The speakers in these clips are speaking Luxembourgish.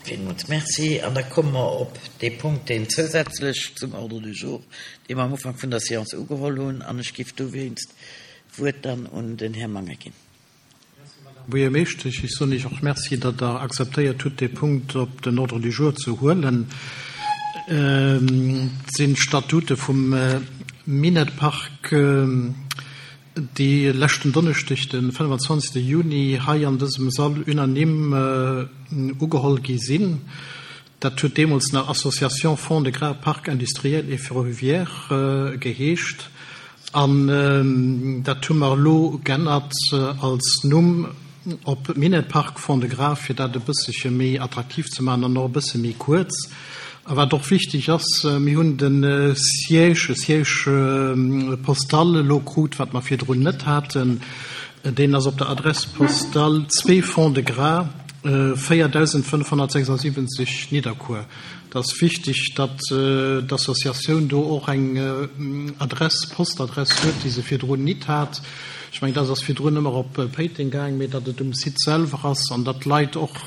Villmools Merci. An da komme mer op dee Punkt, deen zousätzlech zum Ordre du jour, dee mer am Ufank vun der Séance ugeholl hunn. An ech géif dowéinst d'Wuert dann un den Här Mangen ginn. Merci, Madame Buergermeeschtesch. Ech soen Iech och Merci, datt Der akzeptéiert hutt, dee Punkt op den Ordre du jour ze huelen. Et sinn d'Statute vum Minett-Park, déi leschten Donneschdeg, de 25. Juni, hei an dësem Sall unanime ugeholl gi sinn. Dat huet deemools nach Association Fonds de Gras Parc industriel et ferroviaire geheescht. An dat hu mer elo g'ännert als Numm op Minett-Park Fond-de-Gras, fir dat e bëssche méi attraktiv ze maachen an och e bësse méi kuerz. A wat och wichteg ass, mir hunn de Siège, e Siège postal elo krut, wat mer virdrun net haten. Deen ass op der Adresse postale 2 Fond-de-Gras, 4576 Nidderkuer. Et ass wichteg, datt d'Associatioun do och eng Adress, Postadress huet, déi se virdrun nit hat. Ech mengen, dat ass virdrun ëmmer op Péiteng gaang, mee datt et um Site selwer ass an datt d'Leit och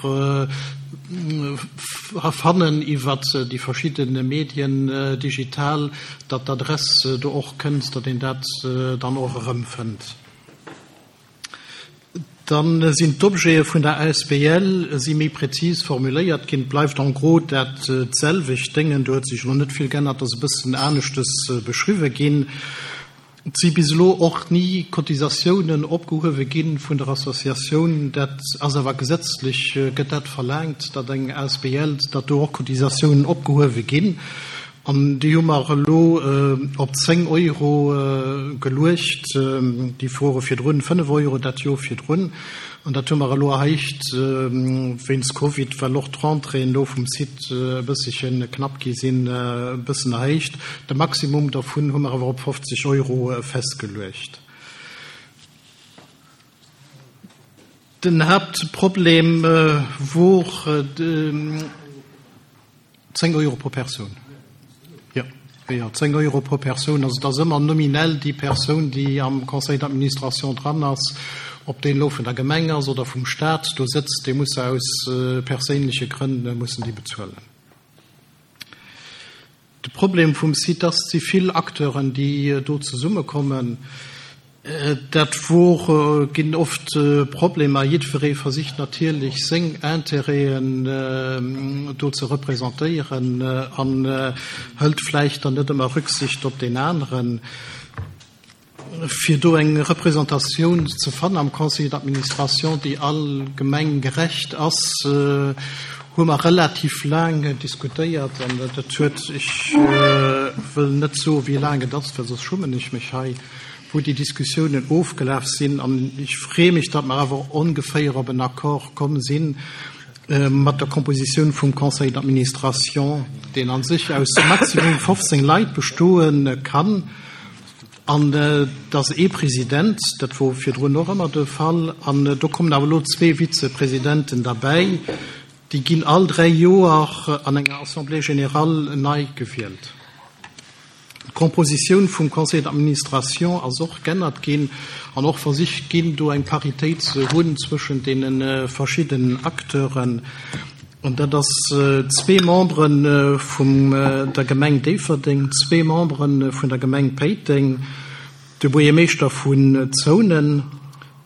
fannen iwwert déi verschidde Medien digital, datt d'Adress do och kënnt, datt een dat dann och erëmfënnt. Dann sinn d'Objete vun der asbl si méi präzis formuléiert ginn. Et bleift en gros dat selwecht Déngen, do huet sech elo net vill geännert, ass e bëssen aneschtes beschriwwe ginn. Et si bis elo och ni Cotisatiounen opgehuewe gi vun der Associatioun. Dat ass awer gesetzlech gëtt dat verlaangt, datt eng asbl, datt do och Cotisatiounen opgehuewe ginn. An déi hu mer elo op 10 Euro geluecht. Déi wore virdrun 5 Euro dat Joer virdrun. An dat hu mer elo erhéicht wéinst Covid, well och d'Rentréeën elo vum Site e bësselche knapp gi sinn, e bëssen erhéicht. De Maximum dervun hu mer awer op 50 Euro festgeluecht. Den Haaptproblem wor 10 Euro pro Persoun. Jo, jo, 10 Euro pro Persoun. Also et ass ëmmer nominell déi Persoun, déi am Conseil d'administration dran ass, ob deen elo vun der Gemeng ass oder vum Stat do sëtzt, dee muss se aus perséinleche Grënn mussen déi bezuelen. De Problem vum Site ass, et si vill Acteuren, déi do zesummekommen. Dat wor, ginn oft Problemer. Jiddweree versicht natierlech seng Intérêten do ze representéieren an hëlt vläicht dann net ëmmer Rücksicht op deen aneren. Fir do eng Representatioun ze fannen am Conseil d'administration, déi all Gemeng gerecht ass, hu mer relativ laang diskutéiert. An dat huet, ech wëll net soen, wéi laang et ass, well soss schummen ech mech hei, wou déi Diskussiounen ofgelaf sinn. An ech freeë mech, datt mer awer ongeféier op en Accord komm sinn mat der Kompositioun vum Conseil d'administration, deen a sech aus maximum 15 Leit bestoe kann. An et ass ee President, dat wor virdrun och ëmmer de Fall, an do kommen awer elo zwee Vizepresidenten derbäi. Déi ginn all dräi Joer an enger Assemblée générale nei gewielt. D'Compositioun vum Conseil d'administration ass och g'ännert ginn an och versicht ginn, do eng Paritéit ze hunn zwëschent deene verschidden Acteuren. An dat ass zwee Membere vum der Gemeng Déifferdeng, zwee Membere vun der Gemeng Péiteng, de Buergermeeschter vun Zounen,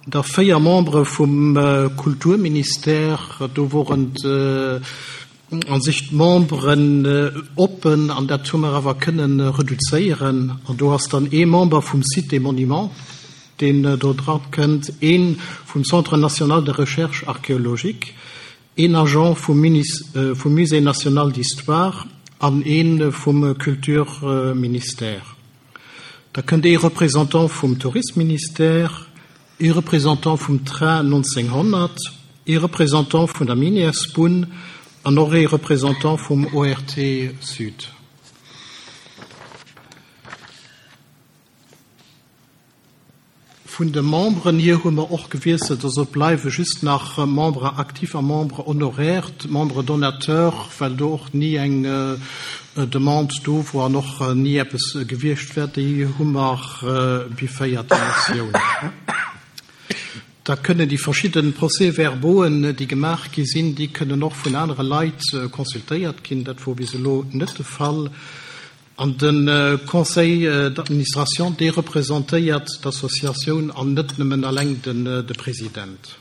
da véier Membere vum Kulturministère, do woren a sech d'Memberen oppen, an dat hu mer awer kënnen reduzéieren. An do ass dann ee Member vum Site des Monuments, deen do dra kënnt, ee vum Centre national de recherche archéologique, Een Agent vum Musée national d'histoire an ee vum Kulturministère. Da kënnt ee Représentant vum Tourisministère, ee Représentant vum Train 1900, ee Représentant vun der Minièresbunn an och ee Représentant vum ORT Sud. Vun de Memberen hier hu mer och gewiesselt, also et bleiwe just nach Membres actifs a Membres honoraires, d'Membres donateurs, well do och ni eng Demande do wor an och ni eppes gewiescht wär, déi hu mer bifféiert, déi Motioun. Da kënnen déi verschidde Procès-verbauen, déi gemaach gi sinn, déi kënnen och vun anere Leit consultéiert ginn. Dat wor bis elo net de Fall. An de Conseil d'administration, dee representéiert d'Associatioun an net nëmmen eleng de President.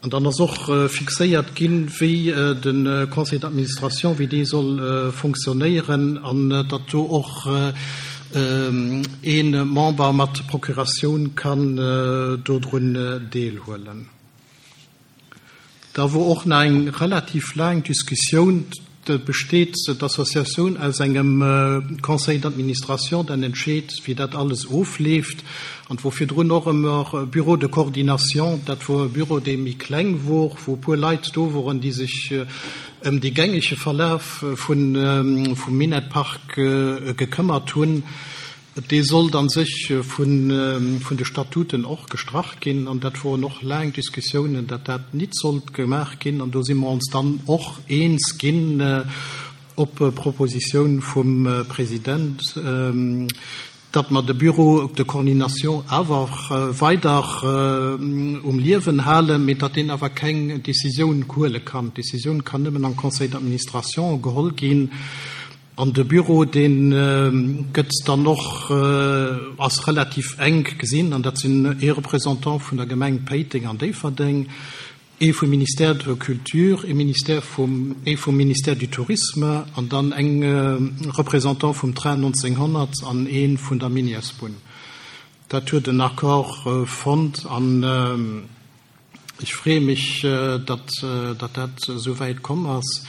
An dann ass och fixéiert ginn, wéi de Conseil d'administration, wéi dee soll fonctionnéieren an datt do och ee Member mat Procuratioun kann dodrun deelhuelen. Da wor och nach eng relativ laang Diskussioun. Et besteet d'Associatioun aus engem Conseil d'administration, deen entscheet, wéi dat alles ofleeft. An et wor virdrun och ëmmer e Bureau de coordination. Dat wor e Bureau, dee méi kleng wor, wou e puer Leit do woren, déi sech ëm dee gängege Verlaf vum Minett-Park gekëmmert hunn. Dee sollt a sech vun de Statuten och gestrach ginn, an dat woren och laang Diskussiounen, datt dat nit sollt gemaach ginn. An do si mer ons dann och eens ginn, op Propositioun vum President, datt mer de Bureau de coordination awer weider um Liewen halen, mee datt deen awer keng Décisioun huele kann. D'Décisioun kann nëmmen am Conseil d'administration geholl ginn. An de Büro, dee gëtt dann och, ass relativ enk gesinn, an dat sinn ee Représentant vun der Gemeng Péiteng an Déifferdeng, ee vum Ministère de la Culture, ee Ministère vum, ee vum Ministère du Tourisme an dann eng Représentant vum Train 1900 an ee vun der Minièresbunn. Dat huet en Accord fonnt an ech freeë mech, datt dat esou wäit komm ass.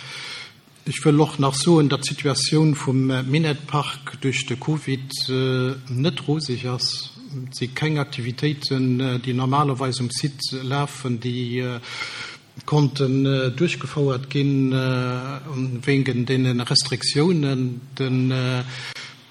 Ech wëll och nach soen, datt d'Situatioun vum Minett-Park duerch de Covid net roseg ass. Et si keng Aktivitéiten, déi normalerweis um Site lafen, déi konnten duerchgefouert ginn wéinge deene Restriktiounen. Den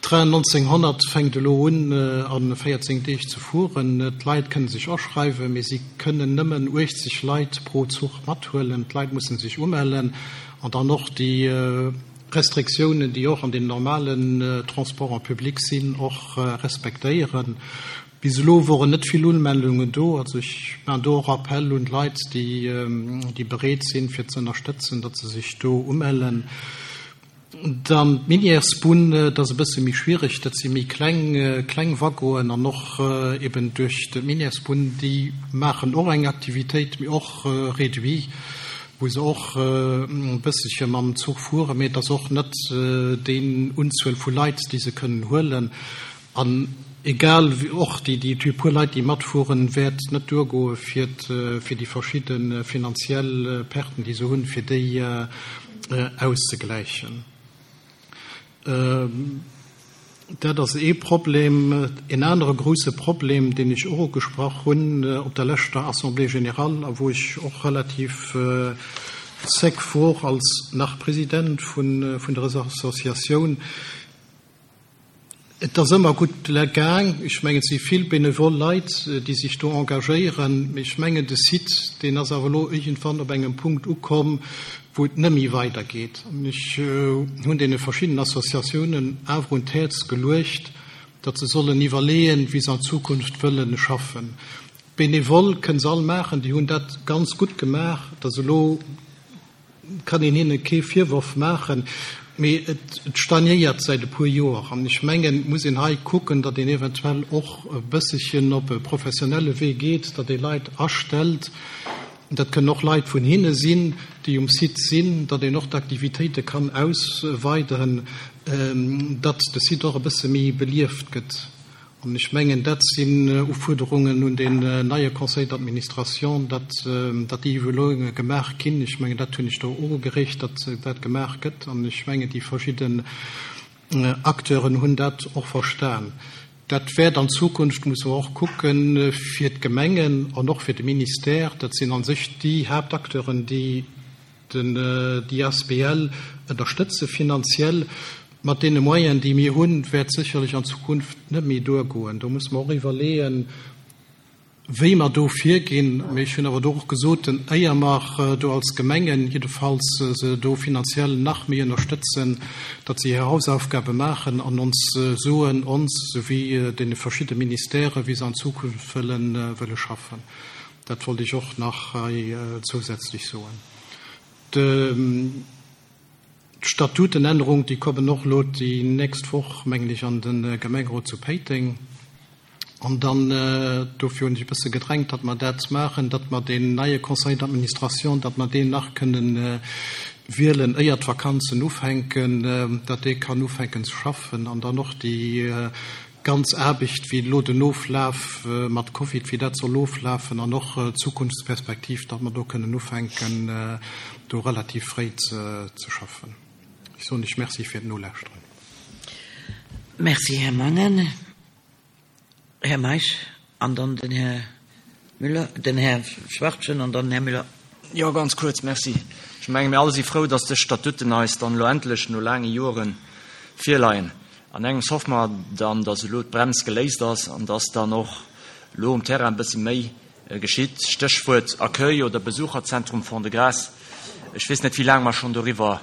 Train 1900 fänkt elo un a 14 Deeg ze fueren. D'Leit kënne sech aschreiwen, mee si kënnen nëmmen 80 Leit pro Zuch mathuelen. D'Leit musse sech umellen an dann och déi Restriktiounen, déi och an den normalen Transports en public sinn, och respektéieren. Bis elo woren net vill Unmeldungen do. Also ech maachen do och Appell un d'Leit, déi bereet sinn, fir ze ënnerstëtzen, datt se sech do umellen. Dann d'Minièresbunn, dat ass e bësse méi schwiereg, dat si méi kleng, kleng Waggonen an och eben duerch d'Minièresbunn, déi maachen och eng Aktivitéit, mee och réduit, wou se och e bësselche mam Zuch fueren, mee et ass och net déi Unzuel vu Leit, déi se kënnen huelen. An egal, och déi, déi puer Leit, déi matfueren, wäert net duergoe fir, fir déi verschidde finanziell Perten, déi se hunn, fir déi auszegläichen. Dat ass ee Problem. En anere grouse Problem, deen ech och ugesprach hunn op der leschter Assemblée générale a wou ech och relativ sec wor als nach President vun der Associatioun, Et ass ëmmer gutt gaang. Ech mengen, et si vill benevol Leit, déi sech do engagéieren. Mee ech mengen, de Site, deen ass awer elo iergendwann op engem Punkt ukomm, wou et net méi weidergeet. An ech hunn deene verschiddenen Associatiounen awer un d'Häerz geluecht, datt se sollen iwwerleeën, wéi se an Zukunft wëlle schaffen. D'Benevol kënne se all maachen, déi hunn dat ganz gutt gemaach. Et ass elo kann een hinne kee Virworf maachen, mee et stagnéiert säit e puer Joer. An ech mengen, et muss een hei kucken, datt een eventuell och e bësselchen op e professionelle Wee geet, datt ee Leit astellt, dat kënnen och Leit vun hinne sinn, déi um Site sinn, datt een och d'Aktivitéite kann ausweiden, datt de Site och e bësse méi belieft gëtt. An ech mengen, dat sinn Ufuerderungen un deen neie Conseil d'administration, datt déi Evaluierunge gemaach ginn. Ech mengen, dat hunn ech do ugereegt, datt dat gemaach gëtt. An ech mengen, déi verschidden Acteuren hunn dat och verstan. Dat wäert an Zukunft, musse mer och kucken, fir d'Gemengen an och fir de Ministère, dat sinn a sech déi Haaptacteuren, déi, Den déi asbl ënnerstëtze finanziell. Mat deene Moyenen, déi mir hunn, wäert sécherlech an Zukunft net méi duergoen. Do musse mer och iwwerleeën. wéi mer do virginn. Mee ech hunn awer do och gesot, éier mer do als Gemengen jiddefalls se do finanziell nach méi ënnerstëtzen, datt se hir Hausaufgabe maachen an ons soen, ons souwéi deene verschidde Ministèrë wéi se an Zukunft wëlle schaffen. Dat wollt ech och nach hei zousätzlech soen. D'Statutenännerung, déi kommen och elo déi nächst Woch, mengen ech, an de Gemengerot zu Péiteng. An dann, dofir hunn ech e bësse gedrängt, datt mer dat maachen, datt mer deen neie Conseil d'administration, datt mer deen nach kënnen wielen, éier d'Vakanzen ufänken, datt dee kann ufänken ze schaffen an dann och déi ganz Aarbecht, wéi elo den Oflaf mat Covid, wéi dat soll oflafen an och d'Zukunftsperspektiv, datt mer do kënnen ufänken, do relativ fréi ze schaffen. Ech soen lech Merci fir d'Nolauschteren. Merci, Här Mangen. Här Meisch an dann den Här Müller, den Här Schwachtgen an dann den Här Müller. Jo, ganz kuerz, Merci. Ech menge mir all si frou, datt dës Statuten eis dann elo endlech no laange Jore virleien. An engems hoffe mer dann, datt elo d'Brems geléist ass an datt dann och elo um Terrain e bësse méi geschitt. Stéchwuert Accueil oder Besucherzentrum Fond-de-Gras. Ech weess net, wéi laang mer schonn doriwwer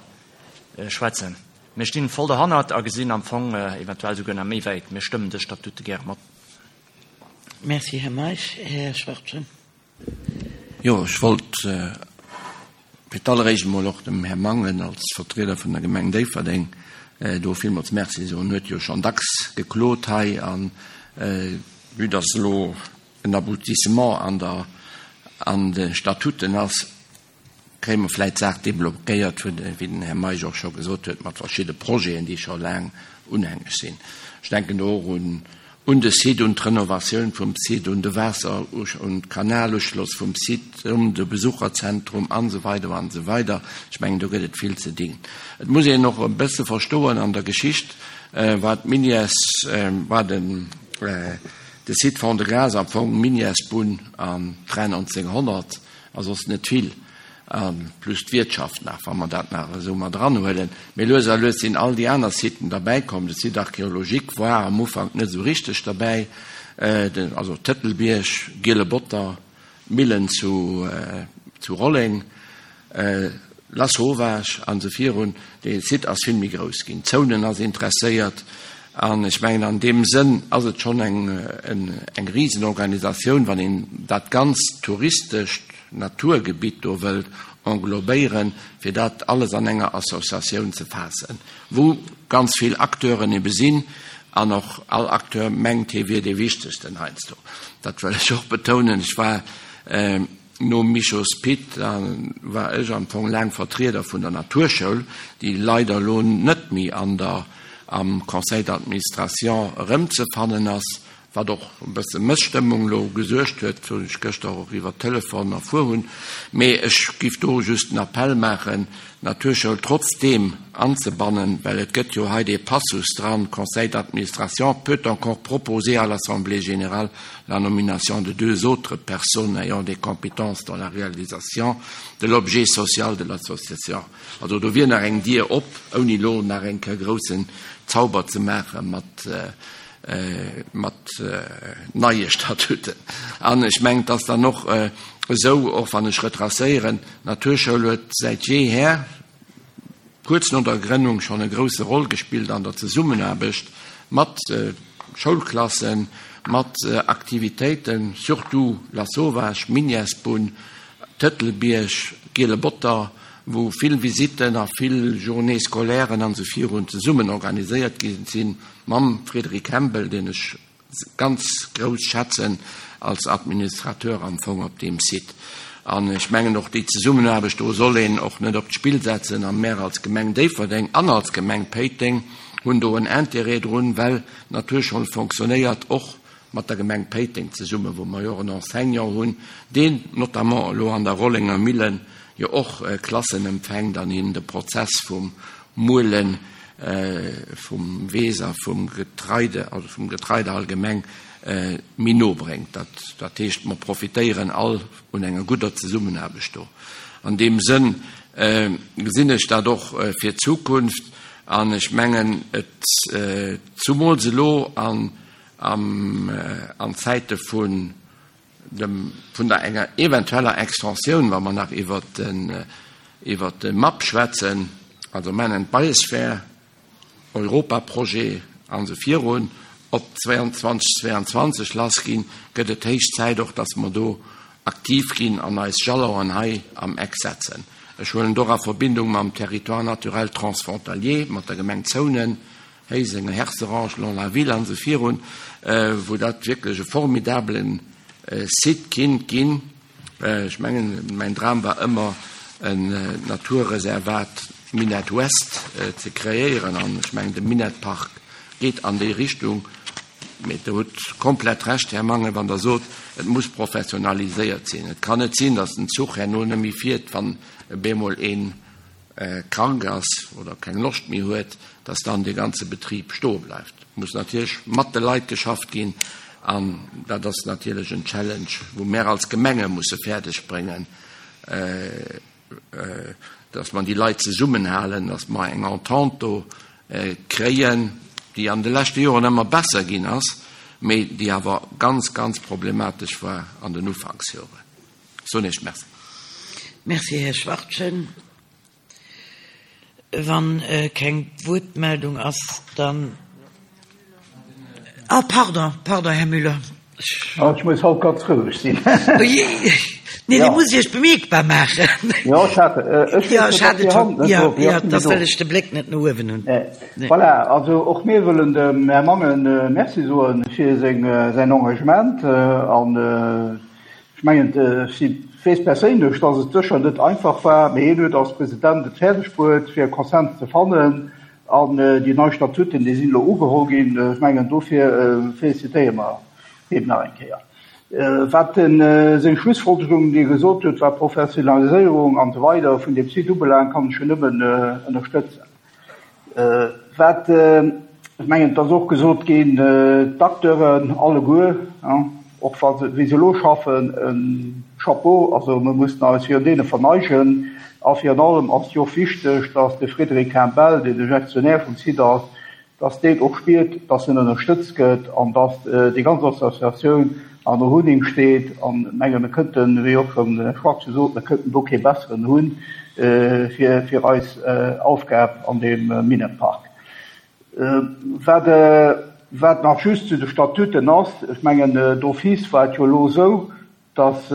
schwätzen. Mir stinn voll derhannert a gesinn am Fong eventuell souguer nach méi wäit. Mir stëmmen dës Statute gäre mat. Merci, Här Meisch. Här Schwachtgen. Jo, ech wollt fir d'alleréischt emol och dem Här Mangen als Vertrieder vun der Gemeng Déifferdeng do villmools Merci soen. En huet jo schonn dacks geklot hei a vue dass elo en Aboutissement an der, an de Statuten ass, kréie mer vläit d'Saach deblockéiert, wéi den Här Meisch och scho gesot huet, mat verschidde Projeten, déi scho laang unhängeg sinn. Ech denken do och un un de Site, un d'Renovatioun vum Site, un de Waasser-, un d'Kanaluschloss vum Site, un de Besucherzentrum an esou weider an esou weider. Ech mengen, do gëtt et vill ze dinn. Et muss een och e bësse verstoen, an der Geschicht war d'Minières, war den de Site Fond-de-Gras am Fong Minièresbunn an Train 1900, a soss net vill, a plus d'Wiertschaft nach, wa mer dat nach esou mat eranhuelen. Mee lues a lues sinn all déi aner Siten derbäikomm. De Site archéologique war am Ufank net esou richteg derbäi, also Tëtelbierg, Giele Botter, d'Millen zu Rolleng. Lasauvage an esou virun, dee Site ass vill méi grouss ginn. Zounen ass interesséiert an ech mengen an deem Sënn ass et schonn eng eng Risenorganisatioun, wann een dat ganzt touristescht Naturgebitt do wëllt englobéieren, fir dat alles an enger Associatioun ze faassen, wou ganz vill Acteuren ebe sinn an och all Acteur mengt, hie wier dee Wichtegsten heiansdo. Dat wëll ech och betounen. Ech war. Nom Michos Pit war ech am Fong laang Vertrieder vun der Naturschoul, déi leider elo net méi an der am Conseil d'administration erëmzefannen ass, wat och e bësse Mësstëmmung elo gesuergt huet, wou ech gëschter och iwwer Telefon erfuer hunn. Mee ech giff do just den Appell maachen, d'Naturschoul trotzdeem anzebannen, well et gëtt jo hei dee Passus dran, Conseil d'administration peut encore proposer à l'Assemblée générale la nomination de deux autres personnes ayant des compétences dans la réalisation de l'objet social de l'association. Also do wier nach eng Dier op, ouni elo nach eng Kéier groussen Zauber ze maache mat, mat neie Statuten. An ech mengen, et ass dann och esou, och wann ech retracéieren, d'Naturschoul huet säit jeeher, kuerz no der Grënnung schonn e grousse Roll gespillt an der Zesummenaarbecht mat Schoulklassen, mat Aktivitéiten, surtout Lasauvage, Minièresbunn, Tëtelbierg, Giele Botter, wou vill Visitten a vill Journées scolairen an esou virun zesummen organiséiert gi sinn, mam Frédéric Hembel, deen ech ganz grouss schätzen als Administrateur am Fong op deem Site. An ech mengen och déi Zesummenaarbecht do soll een och net op d'Spill setzen. A mär als Gemeng Déifferdeng an als Gemeng Péiteng hunn do en Intérêt drun, well d'Naturschoul fonctionnéiert och mat der Gemeng Péiteng zesummen, wou mer jo och en Enseignant hunn, deen notamment elo an der Rollenger Millen jo och Klassen empfänkt an hinnen de Prozess vum Muelen vum Weess a vum Getreide, also vum Getreide allgemeng, méi no bréngt. Dat heescht, mer profitéieren all un enger gudder Zesummenaarbecht do. An deem Sënn gesinn ech dat och fir d'Zukunft an ech mengen, et, zumools elo an Zäite vun. dem, vun der enger eventueller Extensioun, wa mer nach iwwert den, iwwert de MAP schwätzen, also Man and Biosphere, Europaprojet an esou virun, op 2022 lass ginn, gëtt et héich Zäit och, dass mer do aktiv ginn an eis Jalonen hei am Eck setzen. Ech huelen et och a Verbindung mam Territoire naturel transfrontalier, mat der Gemeng Zounen, Héiseng, Herserange, Longlaville an esou virun, wou dat wierklech e formidabele Site kinnt ginn. Ech mengen, mäin Dram war ëmmer, en Naturreservat Minett West ze kreéieren an ech mengen, de Minettpark geet an déi Richtung. Mee Der hutt komplett Recht, Här Mangen, wann Der sot, et muss professionaliséiert sinn. Et kann net sinn, datt den Zuch herno net méi fiert, wann e bemol een krank ass oder keng Loscht méi huet, dass dann dee ganze Betrib stoe bleift. Et muss natierlech mat de Leit geschafft ginn an dat ass natierlech en Challenge, wou mär als Gemenge musse fäerdeg bréngen, dass mer déi Leit zesummenhalen, dass mer eng Entente do kréien, déi an de leschte Joren ëmmer besser ginn ass, mee déi awer ganz, ganz problematesch war an den Ufanksjoren. Soen Iech Merci. Merci, Här Schwachtgen. Wann keng Wuertmeldung ass, dann. Ah, pardon, pardon, Här Müller. Ech muss haut ganz roueg sinn. Nee, Dir musst Iech bemierkbar maachen. Jo, ech hat, ech Jo, ech hat et schonn. Jo, jo, et ass, well ech de Bléck net no uewen hunn. Voilà, also och mir wëllen dem Här Mangen Merci soe fir seng, säin Engagement an Ech mengen, ech weess perséinlech, datt et sécher net einfach war, mee hien huet als President et fäerdeg bruet, fir e Konsens ze fannen. An déi nei Statuten, déi sinn elo ugeholl ginn. Ech mengen, dofir félicitéiere mer him nach eng Kéier. Wat seng Schlussfolgerung, déi e gesot huet, wat d'Professionaliséierung an esou weider vun deem Site ubelaangt, kann ech jo nëmmen ënnerstëtzen. Wat, ech mengen, et ass och gesot ginn, d'Acteuren alleguer, och wa se, wéi se elo schaffen, e Chapeau, also mir mussen eis virun deene verneigen. A virun allem ass et jo och wichteg, datt de Frédéric Campbell, deen de Gestionnaire vum Site ass, datt deen och spiert, datt en ënnerstëtzt gëtt an datt déi ganz Associatioun hannerun him steet. An ech menge mir kënnten, wéi och schonn den Här Schwarz gesot, mir kënnten do kee besseren hunn fir fir eis Aufgab an deem Minnepark. Wat wat nach just zu de Statuten ass, ech mengen d'office war et jo elo esou, dass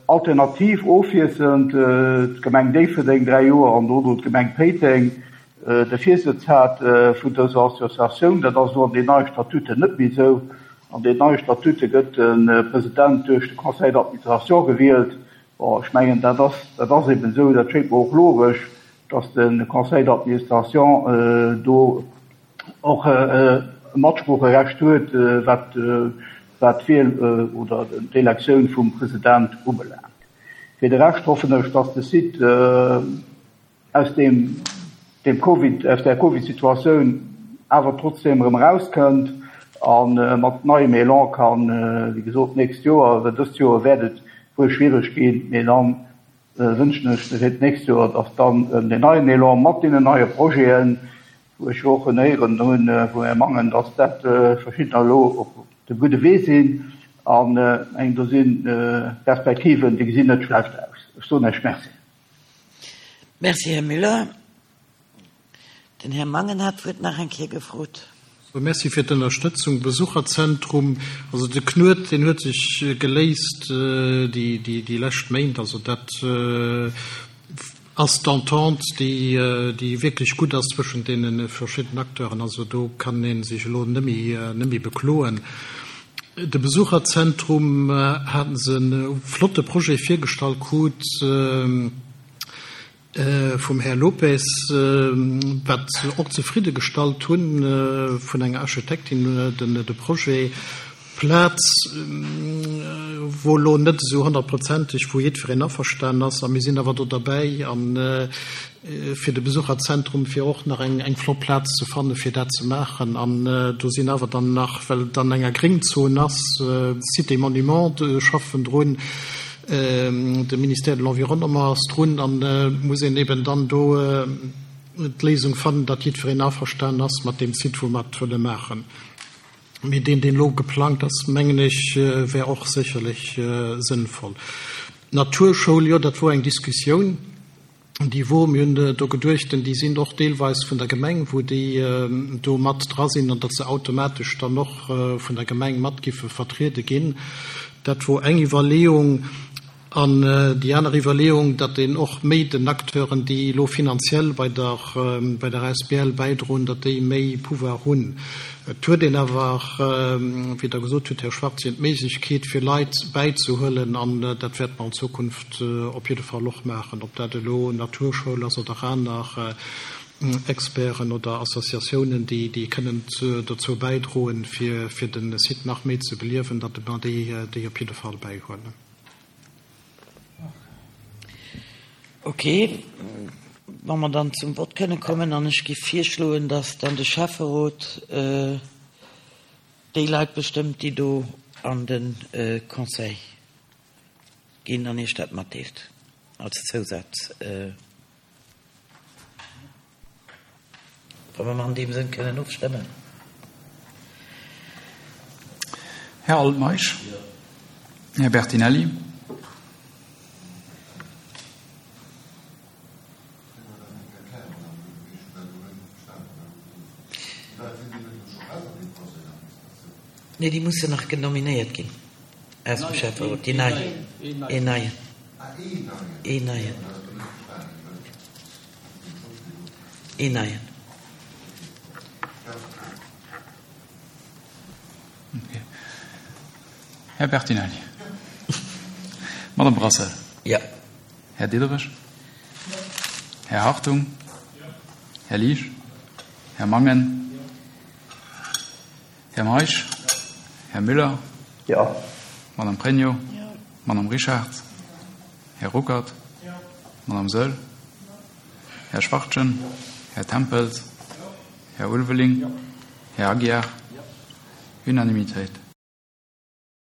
alternativ ofwiesselnd d'Gemeng Déifferdeng 3 Joer an dono d'Gemeng Péiteng de Virsëtz hat vun dëser Associatioun. Dat ass elo an den neie Statuten net méi esou. An den neie Statute gëtt de President duerch de Conseil d'administration gewielt. Bon, ech mengen, dat ass, dat ass eben esou, dat schéngt mer och logesch, dass de Conseil d'administration do och e Matsproocherecht huet, wat wat d'Wiel oder d'Elektioun vum President ubelaangt. Fir de Rescht hoffen ech, dass de Site aus deem dem Covid, aus där Covid-Situatioun awer trotzdeem erëm erauskënnt a mat neiem Elan kann, wéi gesot, d'nächst Joer, well dëst Joer wäert et wuel schwiereg ginn, mee dann wënschen ech fir d'nächst Joer, dass dann deen neien Elan mat deenen neie Projeten, wou ech jo och en héieren hunn vum Här Mangen, dass dat verschiddener elo op dem gudde Wee sinn. An eng do si Perspektiven, déi gesinn net schlecht aus. Ech soen Iech Merci. Merci, Här Müller. Den Här Mangen hat d'Wuert nach eng Kéier gefrot. Merci fir d'Ënnerstëtzung. Besucherzentrum, also de Knuet, deen huet sech geléist déi lescht Méint. Also dat ass d'Entente, déi wierklech gutt ass zwëschent deene verschiddenen Acteuren. Also do kann ee sech elo net méi bekloen. De Besucherzentrum hate se e flotte Projet virgestallt krut. Vum Här Lopes, wat se och zefridde gestallt hunn, vun enger Architektin de Projet. Plaz wor elo net esou honnertprozenteg, wou jiddwereen averstanen ass. A mir sinn awer do derbäi, a fir de Besucherzentrum, fir och nach eng flott Plaz ze fannen, fir dat ze maachen. An do sinn awer dann nach, well et an enger Gréngzon ass, Cité Monument schaffen drun, De Ministère de l'Environnement ass drun an et muss een eben dann do d'Léisung fannen, datt jiddwereen averstanen ass mat deem Site, wou mer et wëlle maachen. Mee deen, deen elo geplangt ass, mengen ech, wär och sécherlech sënnvoll. D'Naturschoul, jo, dat wor eng Diskussioun, déi wor. Mir hunn do geduecht, déi sinn och deelweis vun der Gemeng, wou déi do mat dra sinn, an datt se automatesch dann och vun der Gemeng mat giffe vertriede ginn. Dat wor eng Iwwerleeung. An déi aner Iwwerleeung, datt een och méi den Acteuren, déi elo finanziell bei der bei der asbl bäidroen, datt déi méi Pouvoir hunn. Et huet een awer, wéi Der gesot hutt, Här Schwarzchen, d'Méiglechkeet fir Leit bäizehuelen, an dat wäerte mer an Zukunft op jidde Fall och maachen, ob dat elo Naturschoul ass oder aner Experten oder Associatiounen, déi déi kënnen dozou bäidroen, fir fir de Site nach méi ze beliewen, datt mer déi déi op jidde Fall bäihuelen. Ok, wa mer dann zum Vott kënne kommen, an ech géif virschloen, dass dann de Schäfferot déi Leit bestëmmt, déi do an de Conseil ginn an Iech dat matdeelt als Zousaz. Wa mer an deem Sënn kënnen ofstëmmen. Här Altmeisch. Här Bertinelli. Nee, déi mussen nach genominéiert ginn aus dem Schäfferot, déi nei. Een neien. Een neien. Een neien. Här Bertinelli. Madame Brassel. Jo. Här Diderich. Här Hartung. Här Liesch. Här Mangen. Här Meisch. Här Müller. Jo. Madame Pregno. Madame Richard. Här Ruckert. Madame Saeul. Här Schwachtgen. Här Tempels. Här Ulveling. Här Aguiar. Unanimitéit.